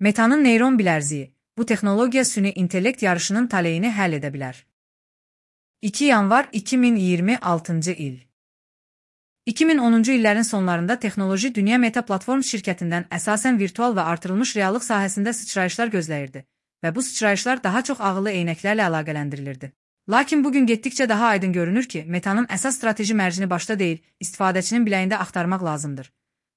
Meta'nın neyron bilərziyi. Bu texnologiya süni intellekt yarışının taleyini həll edə bilər. 2 yanvar 2026 il. 2010-cu illərin sonlarında texnoloji dünya Meta platform şirkətindən əsasən virtual və artırılmış reallıq sahəsində sıçrayışlar gözləyirdi və bu sıçrayışlar daha çox ağıllı eynəklərlə əlaqələndirilirdi. Lakin bugün getdikcə daha aydın görünür ki, Meta'nın əsas strateji mərcini başda deyil, istifadəçinin biləyində axtarmaq lazımdır.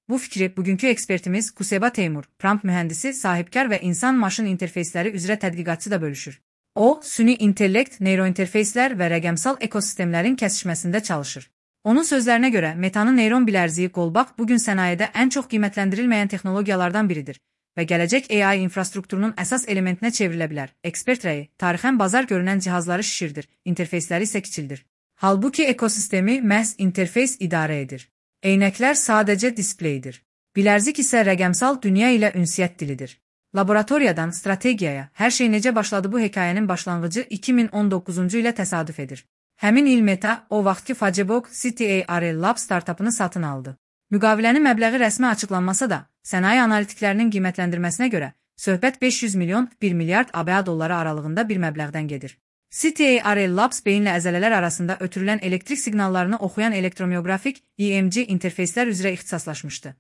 Bu fikri bugünkü ekspertimiz Kuseba Teymur, prompt mühəndisi, sahibkar və insan-maşın interfeysləri üzrə tədqiqatçı da bölüşür. O, süni intellekt, neyrointerfeyslər və rəqəmsal ekosistemlərin kəsişməsində çalışır. Onun sözlərinə görə, Meta'nın neyron bilərziyi qolbaq bugün sənayedə ən çox qiymətləndirilməyən texnologiyalardan biridir və gələcək AI infrastrukturunun əsas elementinə çevrilə bilər. Ekspert rəyi, tarixən bazar görünən cihazları şişirdir, interfeysləri isə kiçildir. Halbuki ekosistemi məhz interfeys idarə edir. Eynəklər sadəcə displeydir. Bilərzik isə rəqəmsal dünya ilə ünsiyyət dilidir. Laboratoriyadan strategiyaya, hər şey necə başladı bu hekayənin başlanğıcı 2019-cu ilə təsadüf edir. Həmin il Meta, o vaxtki Facebook CTARL Lab startapını satın aldı. Müqavilənin məbləği rəsmi açıqlanmasa da, sənaye analitiklərinin qiymətləndirməsinə görə, söhbət 500 milyon 1 milyard ABA dolları aralığında bir məbləğdən gedir. CTARL Labs beyinlə əzələlər arasında ötürülən elektrik siqnallarını oxuyan elektromiyografik EMG interfeyslər üzrə ixtisaslaşmışdı.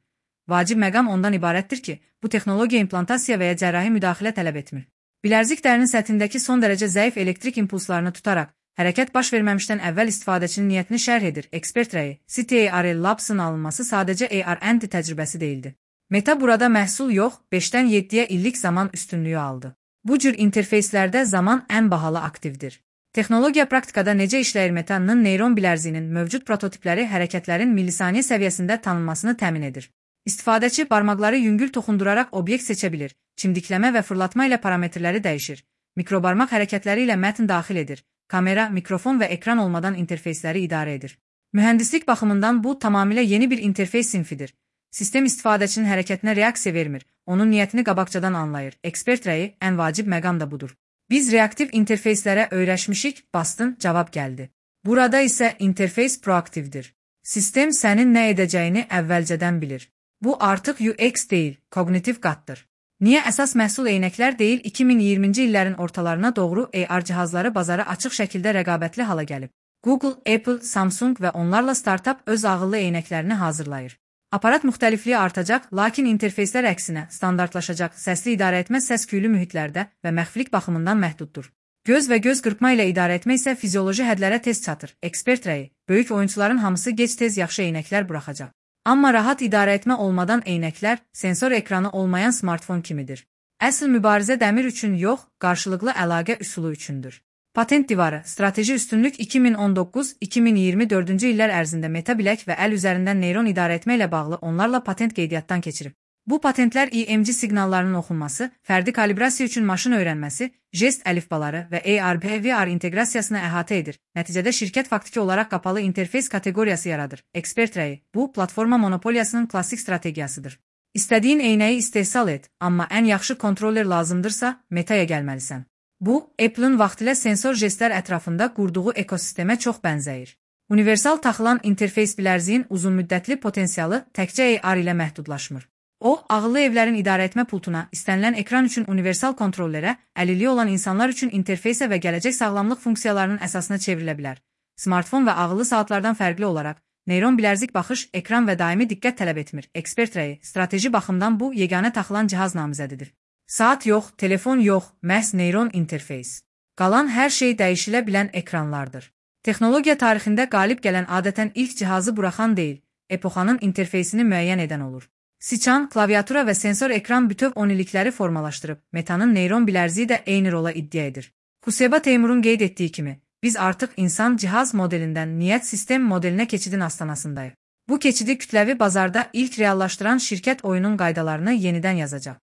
Vacib məqam ondan ibarətdir ki, bu texnologiya implantasiya və ya cərrahi müdaxilə tələb etmir. Bilərzik dərinin səthindəki son dərəcə zəif elektrik impulslarını tutaraq, hərəkət baş verməmişdən əvvəl istifadəçinin niyyətini şərh edir. Ekspert rəyi, CTARL Labs'ın alınması sadəcə AR&D təcrübəsi deyildi. Meta burada məhsul yox, 5-dən 7-yə illik zaman üstünlüyü aldı. Bu cür interfeyslərdə zaman ən bahalı aktivdir. Texnologiya praktikada necə işləyir? Meta'nın neyron bilərziyinin mövcud prototipləri hərəkətlərin millisaniyə səviyyəsində tanınmasını təmin edir. İstifadəçi barmaqları yüngül toxunduraraq obyekt seçə bilir, çimdikləmə və fırlatma ilə parametrləri dəyişir, mikrobarmaq hərəkətləri ilə mətn daxil edir, kamera, mikrofon və ekran olmadan interfeysləri idarə edir. Mühəndislik baxımından bu tamamilə yeni bir interfeys sinfidir. Sistem istifadəçinin hərəkətinə reaksiya vermir, onun niyyətini qabaqcadan anlayır. Ekspert rəyi, ən vacib məqam da budur. Biz reaktiv interfeyslərə öyrəşmişik, bastın, cavab gəldi. Burada isə interfeys proaktivdir. Sistem sənin nə edəcəyini əvvəlcədən bilir. Bu artıq UX deyil, kognitiv qatdır. Niyə əsas məhsul eynəklər deyil, 2020-ci illərin ortalarına doğru AR cihazları bazara açıq şəkildə rəqabətli hala gəlib. Google, Apple, Samsung və onlarla startup öz ağıllı eynəklərini hazırlayır. Aparat müxtəlifliyi artacaq, lakin interfeyslər əksinə standartlaşacaq, səsli idarəetmə səs-küylü mühitlərdə və məxfilik baxımından məhduddur. Göz və göz qırpma ilə idarə etmə isə fizioloji hədlərə tez çatır. Ekspert rəyi, böyük oyunçuların hamısı gec-tez yaxşı eynəklər buraxacaq. Amma rahat idarə etmə olmadan eynəklər, sensor ekranı olmayan smartfon kimidir. Əsl mübarizə dəmir üçün yox, qarşılıqlı əlaqə üsulu üçündür. Patent divarı, strateji üstünlük 2019-2024-cü illər ərzində Meta bilək və əl üzərindən neyron idarə etmə ilə bağlı onlarla patent qeydiyyatdan keçirib. Bu patentlər EMG siqnallarının oxunması, fərdi kalibrasiya üçün maşın öyrənməsi, jest əlifbaları və AR/VR inteqrasiyasını əhatə edir. Nəticədə şirkət faktiki olaraq qapalı interfeys kateqoriyası yaradır. Ekspert rəyi, bu platforma monopoliyasının klassik strategiyasıdır. İstədiyin eynəyi istehsal et, amma ən yaxşı kontroller lazımdırsa, Meta'ya gəlməlisən. Bu, Apple'ın vaxtilə sensor jestlər ətrafında qurduğu ekosistemə çox bənzəyir. Universal taxılan interfeys bilərziyin uzunmüddətli potensialı təkcə AR ilə məhdudlaşmır. O, ağıllı evlərin idarəetmə pultuna, istənilən ekran üçün universal kontrollərə, əlilliyi olan insanlar üçün interfeysə və gələcək sağlamlıq funksiyalarının əsasına çevrilə bilər. Smartfon və ağıllı saatlardan fərqli olaraq, neyron bilərzik baxış, ekran və daimi diqqət tələb etmir. Ekspert rəyi, strateji baxımdan bu, yeganə taxılan cihaz namizədidir. Saat yox, telefon yox, məhz neyron interfeys. Qalan hər şey dəyişilə bilən ekranlardır. Texnologiya tarixində qalib gələn adətən ilk cihazı buraxan deyil, epoxanın interfeysini müəyyən edən olur. Siçan, klaviatura və sensor ekran bütöv 10 illikləri formalaşdırıb, Meta'nın neyron bilərziyi də eyni rola iddia edir. Kuseba Teymurun qeyd etdiyi kimi, biz artıq insan-cihaz modelindən niyyət sistem modelinə keçidin astanasındayıq. Bu keçidi kütləvi bazarda ilk reallaşdıran şirkət oyunun qaydalarını yenidən yazacaq.